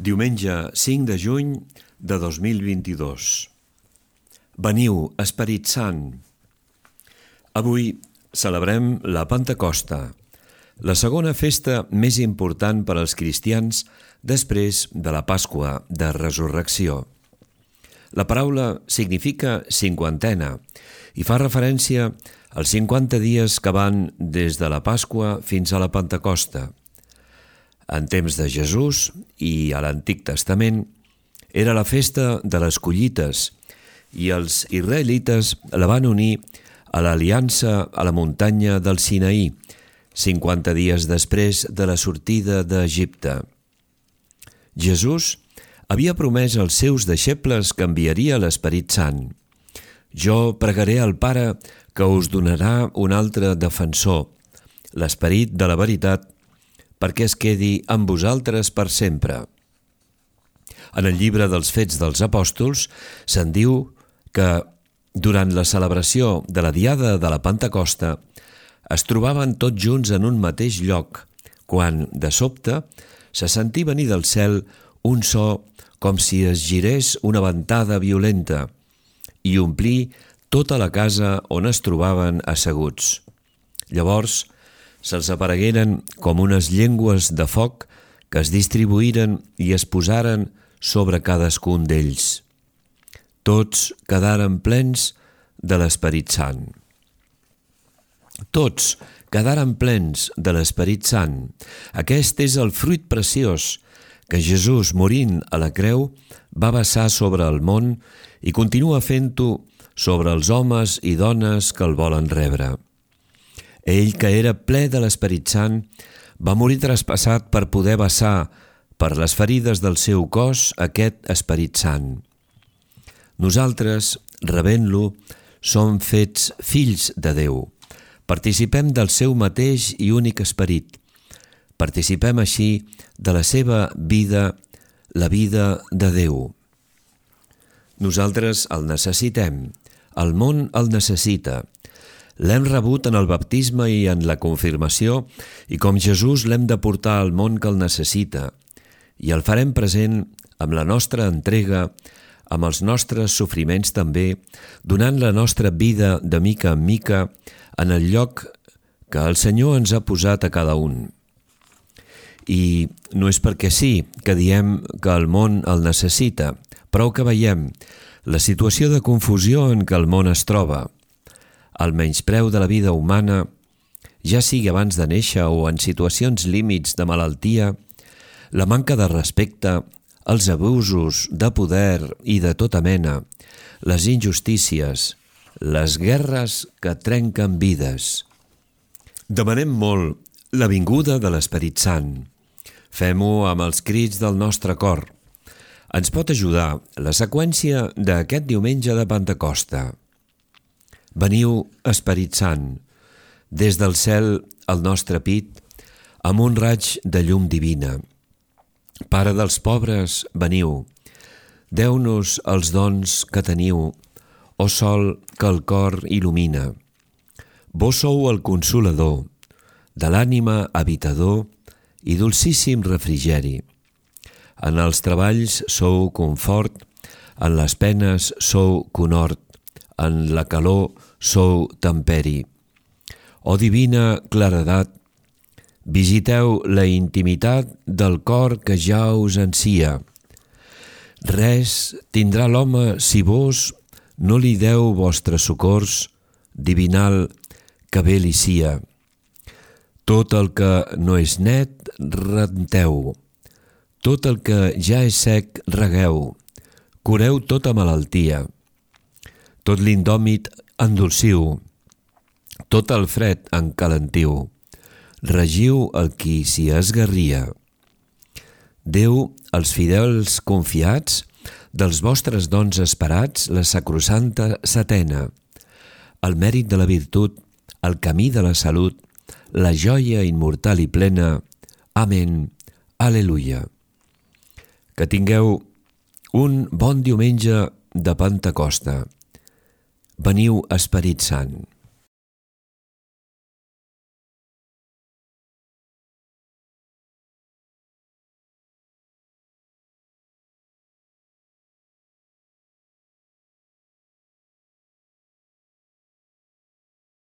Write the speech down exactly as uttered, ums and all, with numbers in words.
Diumenge cinc de juny de dos mil vint-i-dos. Veniu, Esperit Sant. Avui celebrem la Pentecosta, la segona festa més important per als cristians després de la Pasqua de Resurrecció. La paraula significa cinquantena i fa referència als cinquanta dies que van des de la Pasqua fins a la Pentecosta. En temps de Jesús i a l'Antic Testament era la festa de les collites i els israelites la van unir a l'aliança a la muntanya del Sinaí, cinquanta dies després de la sortida d'Egipte. Jesús havia promès als seus deixebles que enviaria l'Esperit Sant. Jo pregaré al Pare que us donarà un altre defensor, l'Esperit de la veritat, perquè es quedi amb vosaltres per sempre. En el llibre dels Fets dels Apòstols se'n diu que durant la celebració de la Diada de la Pentecosta es trobaven tots junts en un mateix lloc, quan, de sobte, se sentí venir del cel un so com si es girés una ventada violenta i omplí tota la casa on es trobaven asseguts. Llavors, se'ls aparegueren com unes llengües de foc que es distribuïren i es posaren sobre cadascun d'ells. Tots quedaren plens de l'Esperit Sant. Tots quedaren plens de l'Esperit Sant. Aquest és el fruit preciós que Jesús, morint a la creu, va vessar sobre el món i continua fent-ho sobre els homes i dones que el volen rebre. Ell, que era ple de l'Esperit Sant, va morir traspassat per poder vessar per les ferides del seu cos aquest Esperit Sant. Nosaltres, rebent-lo, som fets fills de Déu. Participem del seu mateix i únic esperit. Participem així de la seva vida, la vida de Déu. Nosaltres el necessitem. El món el necessita. L'hem rebut en el baptisme i en la confirmació i com Jesús l'hem de portar al món que el necessita i el farem present amb la nostra entrega, amb els nostres sofriments també, donant la nostra vida de mica en mica en el lloc que el Senyor ens ha posat a cada un. I no és perquè sí que diem que el món el necessita, prou que veiem la situació de confusió en què el món es troba, el menyspreu de la vida humana, ja sigui abans de néixer o en situacions límits de malaltia, la manca de respecte, els abusos de poder i de tota mena, les injustícies, les guerres que trenquen vides. Demanem molt la vinguda de l'Esperit Sant. Fem-ho amb els crits del nostre cor. Ens pot ajudar la seqüència d'aquest diumenge de Pentecosta. Veniu, Esperit Sant, des del cel al nostre pit, amb un raig de llum divina. Pare dels pobres, veniu, deu-nos els dons que teniu, o sol que el cor il·lumina. Vós sou el consolador, de l'ànima habitador i dolcíssim refrigeri. En els treballs sou confort, en les penes sou conhort, en la calor sou temperi. O divina claredat, visiteu la intimitat del cor que ja us ansia. Res tindrà l'home si vos no li deu vostres socors, divinal que bé li sia. Tot el que no és net, renteu. Tot el que ja és sec, regueu. Cureu tota malaltia. Tot l'indòmit endolciu, tot el fred encalentiu, regiu el qui s'hi esgarria. Déu, els fidels confiats, dels vostres dons esperats, la sacrosanta setena, el mèrit de la virtut, el camí de la salut, la joia immortal i plena. Amén. Aleluia. Que tingueu un bon diumenge de Pentecosta. Veniu, Esperit Sant.